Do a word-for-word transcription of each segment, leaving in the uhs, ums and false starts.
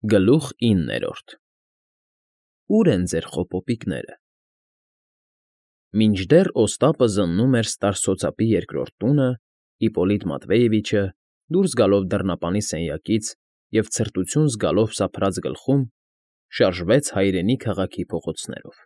Գլուխ իններորդ Ո՞ւր են ձեր խոպոպիկները։ Մինչդեռ Օստապը զննում էր ստարսոցապի երկրորդ տունը, Իպպոլիտ Մատվեևիչը, դուրս գալով դռնապանի սենյակից և ցրտություն զգալով սափրած գլխում, շարժվեց հայրենի քաղաքի փողոցներով.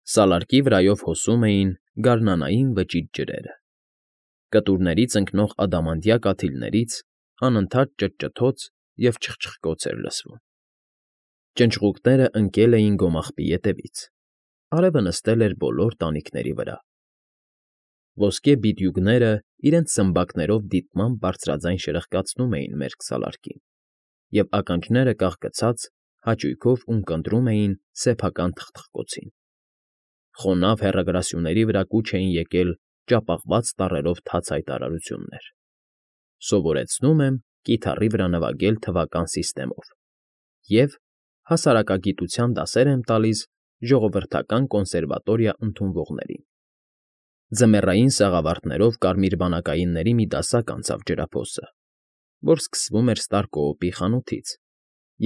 Սալարկի վրայով հոսում էին գարնանային վճիտ ջրերը, կտուրներից ընկնող ադամանդյա կաթիլներից անընդհատ ճտճթոց և չխչխկոց էր լսվում, ճնճղուկներն ընկել էին գոմաղբի ետևից, արևը նստել էր բոլոր տանիքների վրա, ոսկե բիդյուգները իրենց սմբակներով դիտմամբ բարձրաձայն շրխկացնում էին մերկ սալարկին, և ականջները կախկցած հաճույքով ունկնդրում էին սեփական թխթխկոցին, խոնավ հեռագրասյուների վրա կուչ էին եկել ճապաղված տառերով թաց հայտարարություններ. «Սովորեցնում եմ կիթառի վրա նվագել թվական սիստեմով» և «Հասարակագիտության դասեր եմ տալիս ժողովրդական կոնսերվատորիա ընդունվողներին»։ Ձմեռային սաղավարտներով կարմիր բանակայինների մի դասակ անցավ ջրափոսը, որ սկսվում էր Ստարկոոպի խանութից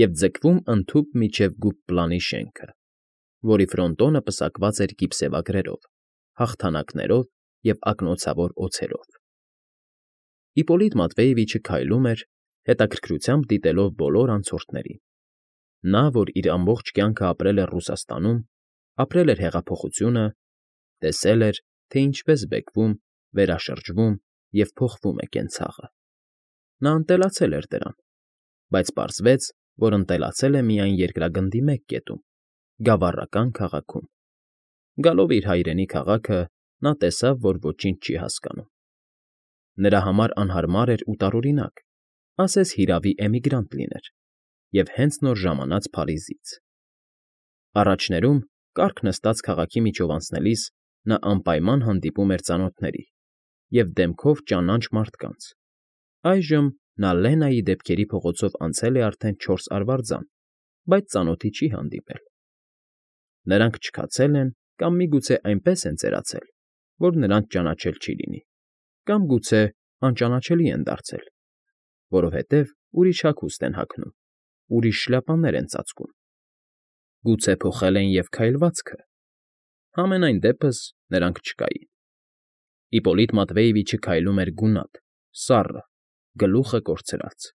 և ձգվում ընդհուպ մինչև Գուբպլանի շենքը, որի ֆրոնտոնը պսակված էր գիպսեվագրերով, հաղթանակներով և ակնոցավոր օձերով։ Իպպոլիտ Մատվեևիչը քայլում էր, հետաքրքրությամբ դիտելով բոլոր անցորդներին. նա, որ իր ամբողջ կյանքը ապրել էր Ռուսաստանում, ապրել էր հեղափոխությունը, տեսել էր, թե ինչպես բեկվում, վերաշրջվում և փոխվում է կենցաղը։ Նա ընտելացել էր դրան, բայց պարզվեց, որ ընտելացել է միայն երկրագնդի մեկ կետում՝ գավառական քաղաքում։ Գալով իր հայրենի քաղաքը՝ նա տեսավ, որ ոչինչ չի հասկանում։ Նրա համար անհարմար էր ու տարօրինակ, ասես հիրավի էմիգրանտ լիներ և հենց նոր ժամանած Փարիզից։ Առաջներում, կառք նստած քաղաքի միջով անցնելիս, նա անպայման հանդիպում էր ծանոթների և դեմքով ճանաչ մարդկանց. այժմ նա Լենայի դեպքերի փողոցով անցել է արդեն չորս արվարձան, բայց ծանոթի չի հանդիպել։ Նրանք չքացել են կամ միգուցե այնպես են ծերացել, որ նրանց ճանաչել չի լինի, կամ գուցե անճանաչելի են դարձել, որովհետև ուրիշ հագուստ են հագնում, ուրիշ շլյապաներ են ծածկում։ Գուցե փոխել են և քայլվածքը։ Համենայն դեպս նրանք չկային։ Իպպոլիտ Մատվեևիչը քայլում էր գունատ, սառը, գլուխը կորցրած։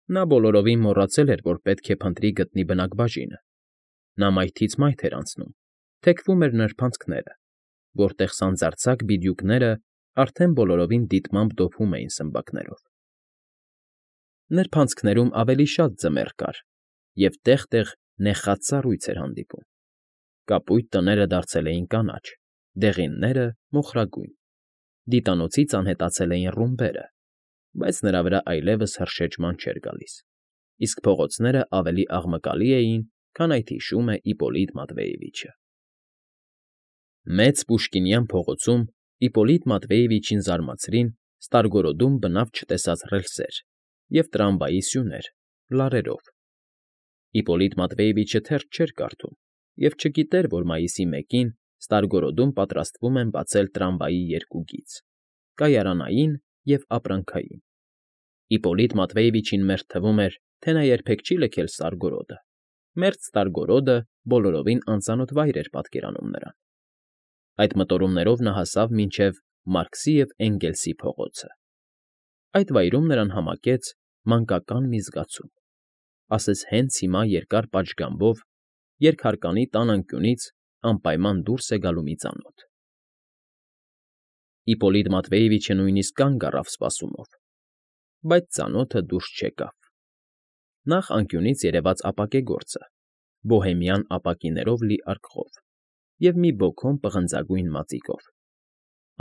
Նա բոլորովին մոռացել էր, որ պետք է փնտրի գտնի բնակբաժինը։ Նա մայթից մայթ էր անցնում, թեքվում էր նրբանցքները, որտեղ սանձարձակ բիդյուկներն արդեն բոլորովին դիտմամբ դոփում էին սմբակներով։ Նրբանցքներում ավելի շատ ձմեռ կար, և տեղ֊տեղ նեխած սառույց էր հանդիպում։ Կապույտ տները դարձել էին կանաչ, դեղինները՝ մոխրագույն, դիտանոցից անհետացել էին ռումբերը, բայց նրա վրա այլևս հրշեջման չէր գալիս, իսկ փողոցներն ավելի աղմկալի էին, քան այդ հիշում է Իպպոլիտ Մատվեևիչը։ Մեծ Պուշկինյան փողոցում Իպպոլիտ Մատվեևիչին զարմացրին ստարգորոդում բնավ չտեսած ռելսեր և տրամվայի սյուներ՝ լարերով։ Իպպոլիտ Մատվեևիչը թերթ չէր կարդում և չգիտեր, որ մայիսի մեկին Ստարգորոդում պատրաստվում են բացել տրամվայի երկու գիծ՝ կայարանային և ապրանքային։ Իպպոլիտ Մատվեևիչին մերթ թվում էր, թե նա երբեք չի լքել Ստարգորոդը, մերթ Ստարգորոդը բոլորովին անծանոթ վայր էր պատկերանում նրան։ Այդ մտորումներով նա հասավ մինչև Մարքսի և Էնգելսի փողոցը։ Այդ վայրում նրան համակեց մանկական մի զգացում, ասես հենց հիմա երկար պատշգամբով երկհարկանի տան անկյունից անպայման դուրս է գալու մի ծանոթ։ Իպպոլիտ Մատվեևիչը նույնիսկ կանգ առավ սպասումով, բայց ծանոթը դուրս չեկավ։ Նախ անկյունից երևաց ապակեգործը՝ բոհեմյան ապակիներով լի արկղով և մի բոքոմ պղնձագույն մածիկով։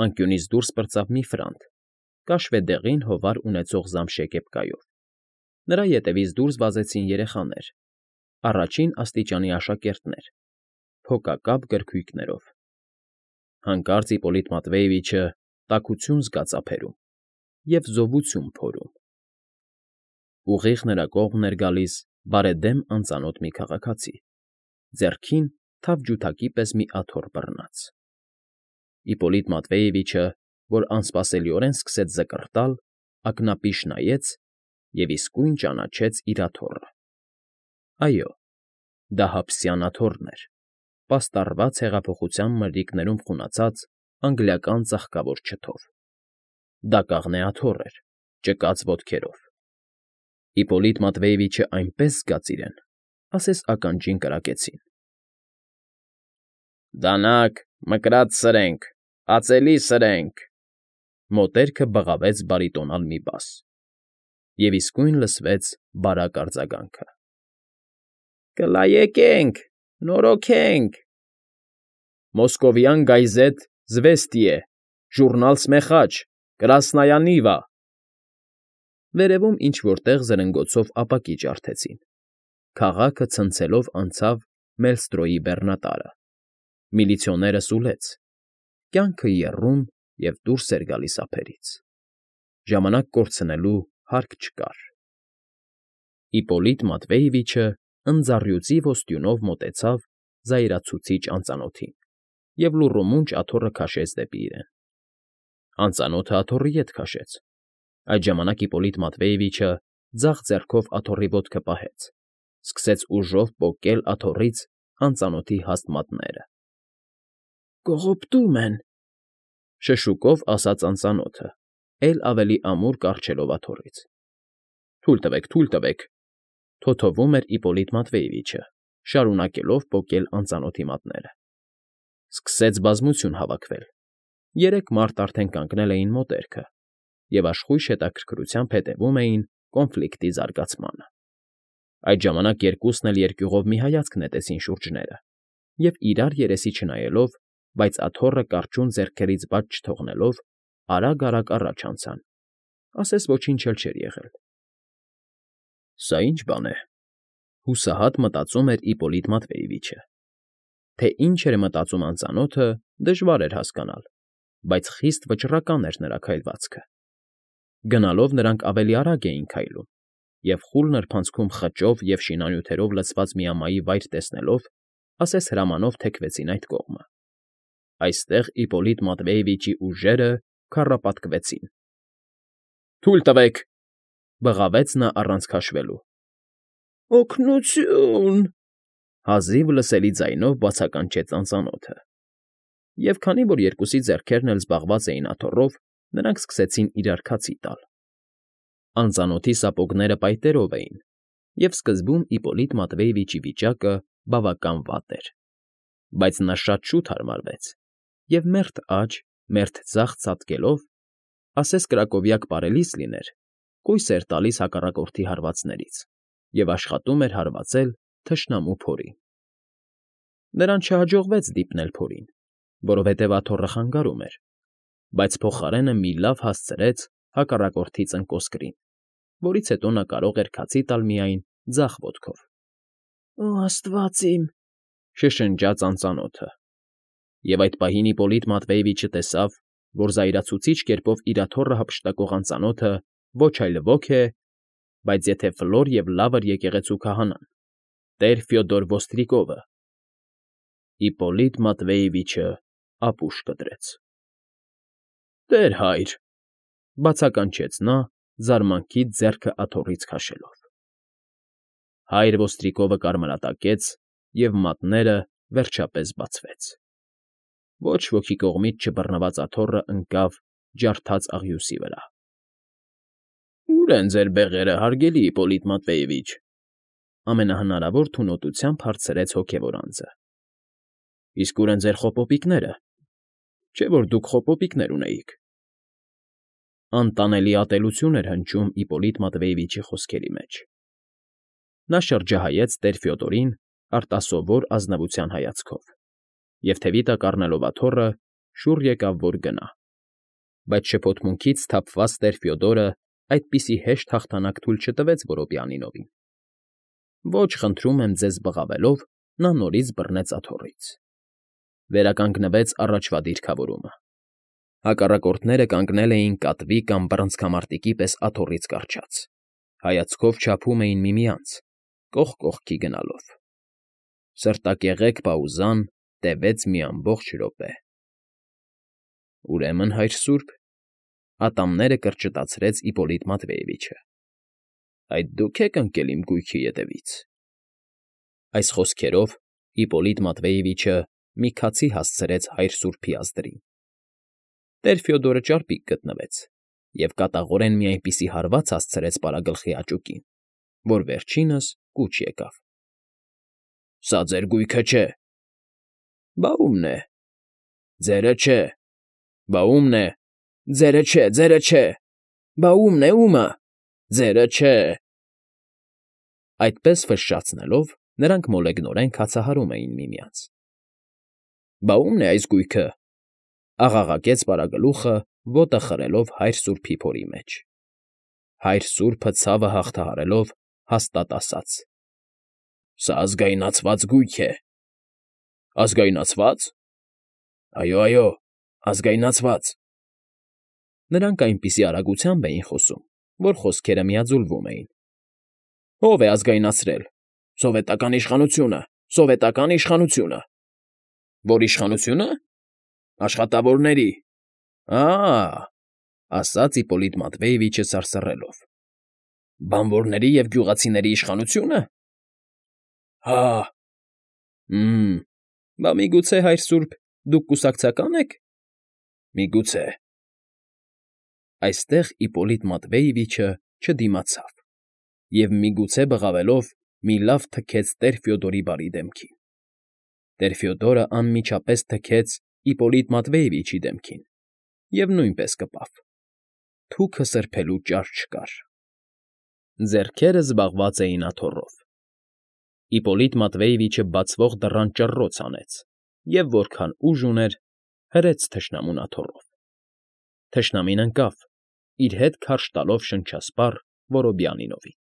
Անկյունից դուրս պրծավ մի ֆրանտ՝ կաշվե դեղին հովար ունեցող զամշե կեպկայով։ Նրա ետևից դուրս վազեցին երեխաներ, առաջին աստիճանի աշակերտներ, փոքակապ գրքույկներով։ Հանկարծ Իպպոլիտ Մատվեևիչը տաքություն զգաց ափերում և զովություն փորում։ Ուղիղ նրա կողմն էր գալիս բարեդեմ անծանոթ մի քաղաքացի, ձեռքին թավջութակի պես մի աթոռ բռնած։ Իպպոլիտ Մատվեևիչը, որ անսպասելիորեն սկսեց զկռտալ, ակնապիշ նայեց և իսկույն ճանաչեց իր աթոռը։ Այո, դա հափսյան աթոռն էր, պաստառված հեղափոխության մրրիկներում խունացած անգլիական ծաղկավոր չթով. դա կաղնե աթոռ էր, ճկած ոտքերով։ Իպոլիտ Մատվեևիչը այնպես զգաց իրեն, ասես ականջին կրակեցին։ ֊ Դանակ, մկրատ սրենք, ածելի սրենք,֊ մոտերքը բղավեց բարիտոնալ մի բաս, և իսկույն լսվեց բարակ արձագանքը. Կլայեկենք, նորոգենք… Մոսկովյան գայզետ Զվեստիե, ժուռնալ Սմեխաչ, Կրասնայա Նիվա… Վերևում ինչ֊որ տեղ զրնգոցով ապակի ջարդեցին, քաղաքը ցնցելով անցավ Մելստրոյի բեռնատարը, միլիցիոները սուլեց, կյանքը եռում և դուրս էր գալիս ափերից… ժամանակ կորցնելու հարկ չկար… Իպոլիտ Մատվեևիչը ընձառյուծի ոսტյունով մոտեցավ զայրացուցիչ անծանոթին և լուռումունջ աթոռը քաշեց դեպի իրեն… Անծանոթը աթոռի ետ քաշեց… Այդ ժամանակ Իպոլիտ Մատվեևիչը ձախ ձեռքով աթոռի ոտքը պահեց, սկսեց ուժով պոկել աթոռից անծանոթի հաստ մատները։ ֊ Կողոպտում են,֊ շշուկով ասաց անծանոթը, էլ ավելի ամուր կառչելով աթոռից։ ֊ Թույլ տվեք, թույլ տվեք,֊ թոթովում էր Իպոլիտ Մատվեևիչը, շարունակելով պոկել անծանոթի մատները։ Սկսեց բազմություն հավաքվել, երեք մարդ արդեն կանգնել էին մոտերքը և աշխույժ հետաքրքրությամբ հետևում էին կոնֆլիկտի զարգացմանը։ Այդ ժամանակ երկուսն էլ երկյուղով մի հայացք նետեցին շուրջները և, իրար երեսի չնայելով, բայց աթոռը կառչուն ձեռքերից բաց չթողնելով, արագ֊արագ առաջ անցան, ասես ոչինչ էլ չէր եղել։ «Սա ի՞նչ բան է,֊ հուսահատ մտածում էր Իպոլիտ Մատվեևիչը։ Թե ինչ էր մտածում անծանոթը, դժվար էր հասկանալ, բայց խիստ վճռական էր նրա քայլվածքը։ Գնալով նրանք ավելի արագ էին քայլում, և խուլ նրբանցքում խճով և շինանյութերով լցված մի ամայի վայր տեսնելով, ասես հրամանով թեքվեցին այդ կողմը։ Այստեղ Իպոլիտ Մատվեևիչի ուժերը քառապատկվեցին։ ֊ Թույլ տվեք,֊ բղավեց նա առանց քաշվելու։ ֊ Օգնությո՜ւն…֊ հազիվ լսելի ձայնով բացականչեց անծանոթը։ Եվ քանի որ երկուսի ձեռքերն էլ զբաղված էին աթոռով, նրանք սկսեցին իրար քացի տալ։ Անծանոթի սապոգները պայտերով էին, և սկզբում Իպոլիտ Մատվեևիչի վիճակը բավական վատ էր, բայց նա շատ շուտ հարմարվեց և մերթ աջ, մերթ ձախ ցատկելով, ասես կրակովյակ պարելիս լիներ, կույս էր տալիս հակառակորդի հարվածներից և աշխատում էր հարվածել թշնամու փորին։ Նրան չհաջողվեց դիպնել փորին, որովհետև աթոռը խանգարում էր, բայց փոխարենը մի լավ հասցրեց հակառակորդի ծնկոսկրին, որից հետո նա կարող էր քացի տալ միայն ձախ ոտքով։ ֊ Օ աստված իմ…֊ շշնջաց անծանոթը։ Եվ այդ պահին Իպոլիտ Մատվեևիչը տեսավ, որ զայրացուցիչ կերպով իր աթոռը հափշտակող անծանոթը ոչ այլ ոք է, բայց եթե Ֆլոր և Լավր եկեղեցու քահանան, տեր Ֆյոդոր Ոստրիկովը… Իպոլիտ Մատվեևիչը ապուշ կտրեց։ ֊ Տեր֊հայր…֊ բացականչեց նա՝ զարմանքից ձեռքը աթոռից քաշելով։ Հայր Ոստրիկովը կարմրատակեց, և մատները, վերջապես, բացվեց… Ոչ ոքի կողմից չբռնված աթոռը ընկավ ջարդած աղյուսի վրա։ ֊ Ո՞ւր են ձեր բեղերը, հարգելի Իպոլիտ Մատվեևիչ,֊ ամենահնարավոր թունոտությամբ հարցրեց հոգևոր անձը։ ֊ Իսկ ո՞ւր են ձեր խոպոպիկները, չէ՞ որ դուք խոպոպիկներ ունեիք… Անտանելի ատելություն էր հնչում Իպոլիտ Մատվեևիչի խոսքերի մեջ։ Նա շրջահայաց տեր Ֆյոդորին արտասովոր ազնվության հայացքով և, թևի տակ առնելով աթոռը, շուռ եկավ, որ գնա։ Բայց շփոթմունքից սթափված տեր Ֆյոդորը այդպիսի հեշտ հաղթանակ թույլ չտվեց Որոպյանինովին։ Ոչ, խնդրում եմ ձեզ բղավելով, նա նորից բռնեց աթոռից։ Վերականգնվեց առաջվա դիրքավորումը։ Հակառակորդները կանգնել էին կատվի կամ բռնցքամարտիկի պես աթոռից կառչած, հայացքով չափում էին միմյանց, կողք կողքի գնալով։ Սրտակեղեկ պաուզան տևեց մի ամբողջ րոպե։ ֊ Ուրեմն, հայր սուրբ,֊ ատամները կրճտացրեց Իպոլիտ Մատվեևիչը,֊ այդ դու՞ք եք ընկել իմ գույքի ետևից։ Այս խոսքերով Իպոլիտ Մատվեևիչը մի քացի հասցրեց հայր սուրբի ազդրին։ Տեր Ֆյոդորը ճարպիկ գտնվեց և կատաղորեն մի այնպիսի հարված հասցրեց պարագլխի աճուկին, որ վերջինս կուչ եկավ։ ֊ Սա ձեր գույքը չէ։ ֊ Բա ո՞ւմն է։ ֊ Ձերը չէ։ ֊ Բա ո՞ւմն է։ ֊ Ձերը չէ, ձերը չէ։ ֊ Բա ո՞ւմն է, ո՞ւմը։ ֊ Ձերը չէ։ Այդպես ֆշշացնելով նրանք մոլեգնորեն քացահարում էին միմյանց։ ֊ Բա ո՞ւմն է այս գույքը,֊ աղաղակեց պարագլուխը, ոտը խրելով հայր սուրբի փորի մեջ։ Հայր սուրբը, ցավը հաղթահարելով, հաստատ ասաց. ֊ Սա ազգայնացված գույք է։ ֊ Ազգայնացվա՞ծ։ ֊ Այո, այո, ազգայնացված։ Նրանք այնպիսի արագությամբ էին խոսում, որ խոսքերը միաձուլվում էին։ ֊ Ո՞վ է ազգայնացրել։ ֊ Սովետական իշխանությունը, սովետական իշխանությունը։ ֊ Ո՞ր իշխանությունը։ ֊ Աշխատավորների։ ֊ Ա՜,֊ ասաց Իպոլիտ Մատվեևիչը սարսռելով։ ֊ Բանվորների և գյուղացիների իշխանությո՞ւնը։ ֊ Հա՜։ ֊ Հը՜մ, բա միգուցե, հայր սուրբ, դուք կուսակցակա՞ն եք։ ֊ Միգուցե։ Այստեղ Իպոլիտ Մատվեևիչը չդիմացավ և, միգուցե բղավելով, մի լավ թքեց տեր Ֆյոդորի բարի դեմքին։ Տեր Ֆյոդորը անմիջապես թքեց Իպոլիտ Մատվեևիչի դեմքին և նույնպես կպավ. թուքը սրբելու ճար չկար։ Ձեռքերը զբաղված էին աթոռով։ Իպոլիտ Մատվեևիչը բացվող դռան ճռռոց հանեց և, որքան ուժ ուներ, հրեց թշնամուն աթոռով։ Թշնամին ընկավ, իր հետ քարշ տալով շնչասպառ Որոբիանինովին։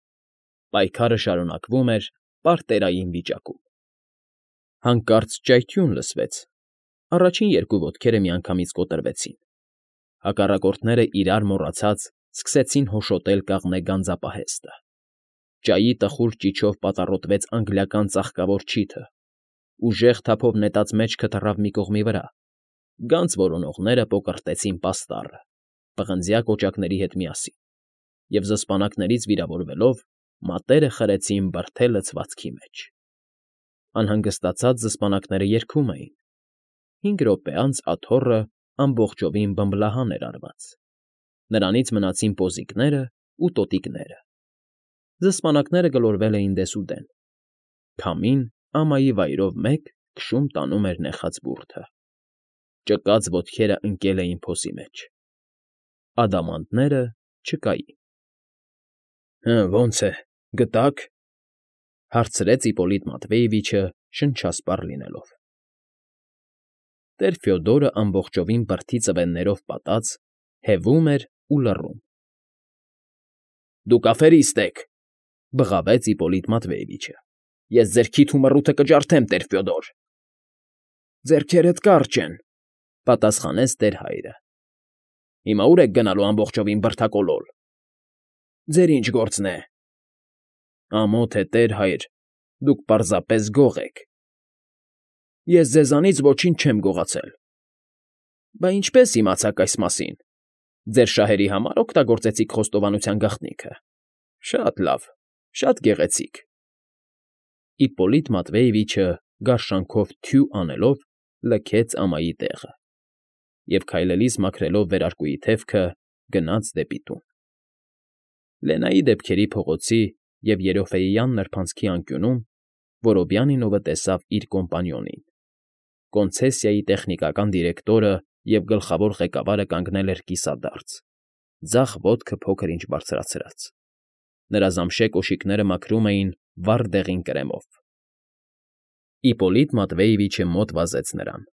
Պայքարը շարունակվում էր պարտերային վիճակում։ Հանկարծ ճայթյուն լսվեց, առաջին երկու ոտքերը միանգամից կոտրվեցին։ Հակառակորդները իրար մոռացած սկսեցին հոշոտել կաղնե գանձապահեստը։ Ճայի տխուր ճիչով պատառոտվեց անգլիական ծաղկավոր չիթը, ուժեղ թափով նետած մեջքը թռավ մի կողմի վրա, գանձ որոնողները պոկռտեցին պաստառը, պղնձյա կոճակների հետ միասին, և զսպանակներից վիրավորվելով մատերը խրեցին բրդե լցվածքի մեջ։ Անհանգստացած զսպանակները երգում էին։ Հինգ րոպե անց աթոռը ամբողջովին բմբլահան էր արված։ Նրանից մնացին պոզիկներն ու տոտիկները։ Զսպանակները գլորվել էին դեսուդեն։ Քամին ամայի վայրով մեկ քշում տանում էր նեխած բուրդը։ Ճկած ոտքերը ընկել էին փոսի մեջ։ Ադամանդները չկային։ ֊ Հը, ո՞նց է, գտա՞ք,֊ հարցրեց Իպոլիտ Մատվեևիչը շնչասպառ լինելով։ Տեր Ֆյոդորը ամբողջովին բրդի ծվեններով պատած հևում էր ու լռում։ ֊ Դուք աֆերիստ եք,֊ բղավեց Իպոլիտ Մատվեևիչը։ ֊ Ես ձեր քիթ ու մռութը կջարդեմ, տեր Ֆյոդոր։ ֊ Ձեռքերդ կարճ են,֊ պատասխանեց տեր հայրը։ ֊ Հիմա ո՞ւր եք գնալու ամբողջովին բրդակոլոլ։ ֊ Ձեր ի՞նչ գործն է։ ֊ Ամոթ է, տեր հայր, դուք պարզապես գող եք։ ֊ Ես ձեզանից ոչինչ չեմ գողացել։ ֊ Բա ինչպե՞ս իմացաք այս մասին։ Ձեր շահերի համար օգտագործեցիք խոստովանության գաղտնիքը։ Շատ լավ, շատ գեղեցիկ։ Իպոլիտ Մատվեևիչը գարշանքով թյու անելով լքեց ամայի տեղը և, քայլելիս մաքրելով վերարկուի թևքը, գնաց դեպի տուն։ Լենայի դեպքերի փողոցի և Երոֆեյյան նրբանցքի անկյունում Որոբյանինովը տեսավ իր կոմպանիոնին։ Կոնցեսիայի տեխնիկական դիրեկտորը և գլխավոր ղեկավարը կանգնել էր կիսադարձ, ձախ ոտքը փոքր֊ինչ բարձրացրած։ Նրա զամշե կոշիկները մաքրում էին վառ դեղին կրեմով։ Իպոլիտ Մատվեևիչը մոտ վազեց նրան։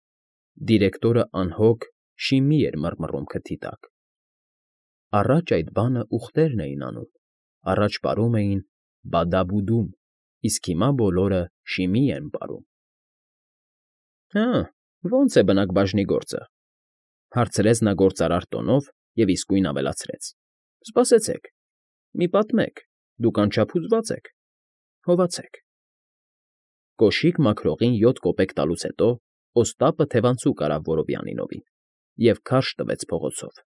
Դիրեկտորը անհոգ շիմի էր մռմռում քթի տակ։ Առաջ այդ բանը ուղտերն էին անում, առաջ պարում էին բադա֊բուդում, իսկ հիմա բոլորը շիմի են պարում։ ֊ Հը, ո՞նց է բնակ բաժնի գործը,֊ հարցրեց նա գործարար տոնով և իսկույն ավելացրեց,֊ Սպասեցեք, մի պատմեք, դուք անչափ հուզված եք, հովացեք։ Կոշիկ մաքրողին յոթ կոպեկ տալուց հետո Օստապը թևանցուկ արավ Որոբյանինովին և քարշ տվեց փողոցով։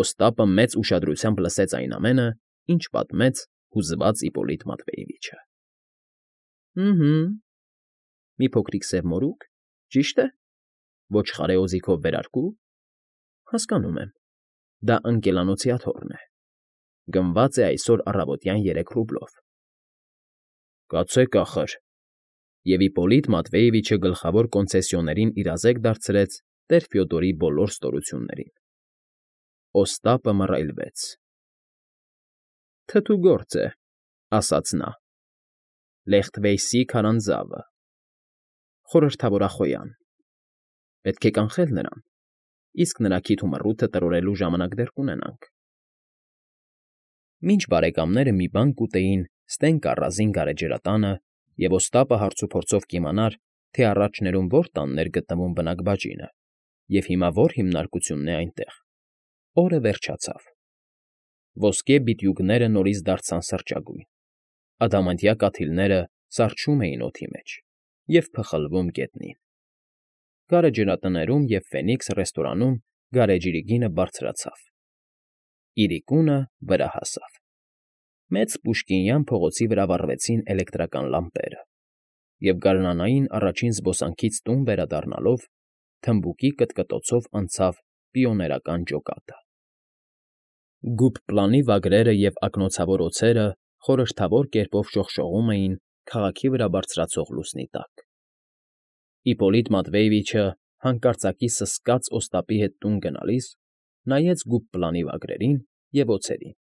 Օստապը մեծ ուշադրությամբ լսեց այն ամենը, ինչ պատմեց հուզված Իպոլիտ Մատվեևիչը։ Հը՛֊հը՛, մի փոքրիկ սև մորուք, ճի՞շտ է, ոչխարի օձիքով վերարկու, հասկանում եմ, դա ընկելանոցի աթոռն է, գնված է այսօր առավոտյան երեք ռուբլով։ Կացեք ախր, և Իպպոլիտ Մատվեևիչը գլխավոր կոնցեսիոներին իրազեկ դարձրեց տեր Ֆյոդորի բոլոր ստորություններին։ Օստապը մռայլվեց։ Թթու գործ է, ասաց նա, Լեխթվեյսի քարանձավը, խորհրդավոր Ախոյան, պետք է կանխել նրան, իսկ նրա քիթ ու մռութը տրորելու ժամանակ դեռ կունենանք։ Մինչ բարեկամները մի բան կուտեին ստենք առազին գարեջրատանը, և Օստապը հարցուփորձով կիմանար, թե առաջներում ո՞ր տանն էր գտնվում բնակ բաժինը, և հիմա ո՞ր հիմնարկությունն է այնտեղ, օրը վերջացավ։ Ոսկե բիտյուգները նորից դարձան սրճագույն, ադամանդյա կաթիլները սառչում էին օդի մեջ և փխլվում գետնին։ Գարեջրատներում և Ֆենիքս ռեստորանում գարեջրի գինը բարձրացավ, իրիկունը վրա հասավ։ Մեծ պուշկինյան փողոցի վրա վառվեցին էլեկտրական լամպերը, և գարնանային առաջին զբոսանքից տուն վերադառնալով թմբուկի կտկտոցով անցավ պիոներական ջոկատը։ Գուբպլանի վագրերը և ակնոցավոր օձերը խորհրդավոր կերպով շողշողում էին քաղաքի վրա բարձրացող լուսնի տակ։ Իպպոլիտ Մատվեևիչը, հանկարծակի սսկաց Օստապի հետ տուն գնալիս, նայեց գուբպլանի վագրերին և օձերին։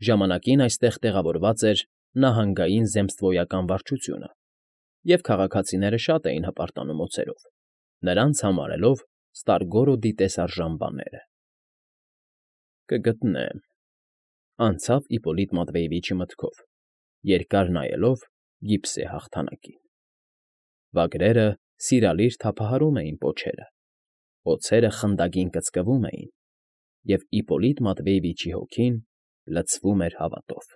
Ժամանակին այստեղ տեղավորված էր նահանգային զեմստվոյական վարչությունը, և քաղաքացիները շատ էին հպարտանում օձերով, նրանց համարելով Ստարգորոդի տեսարժան բաները։ Կգտնեմ,֊ անցավ Իպպոլիտ Մատվեևիչի մտքով, երկար նայելով գիպսե հաղթանակին։ Վագրերը սիրալիր թափահարում էին պոչերը, օձերը խնդագին կծկվում էին, և Իպպոլիտ Մատվեևիչի հոգին լցվում էր հավատով։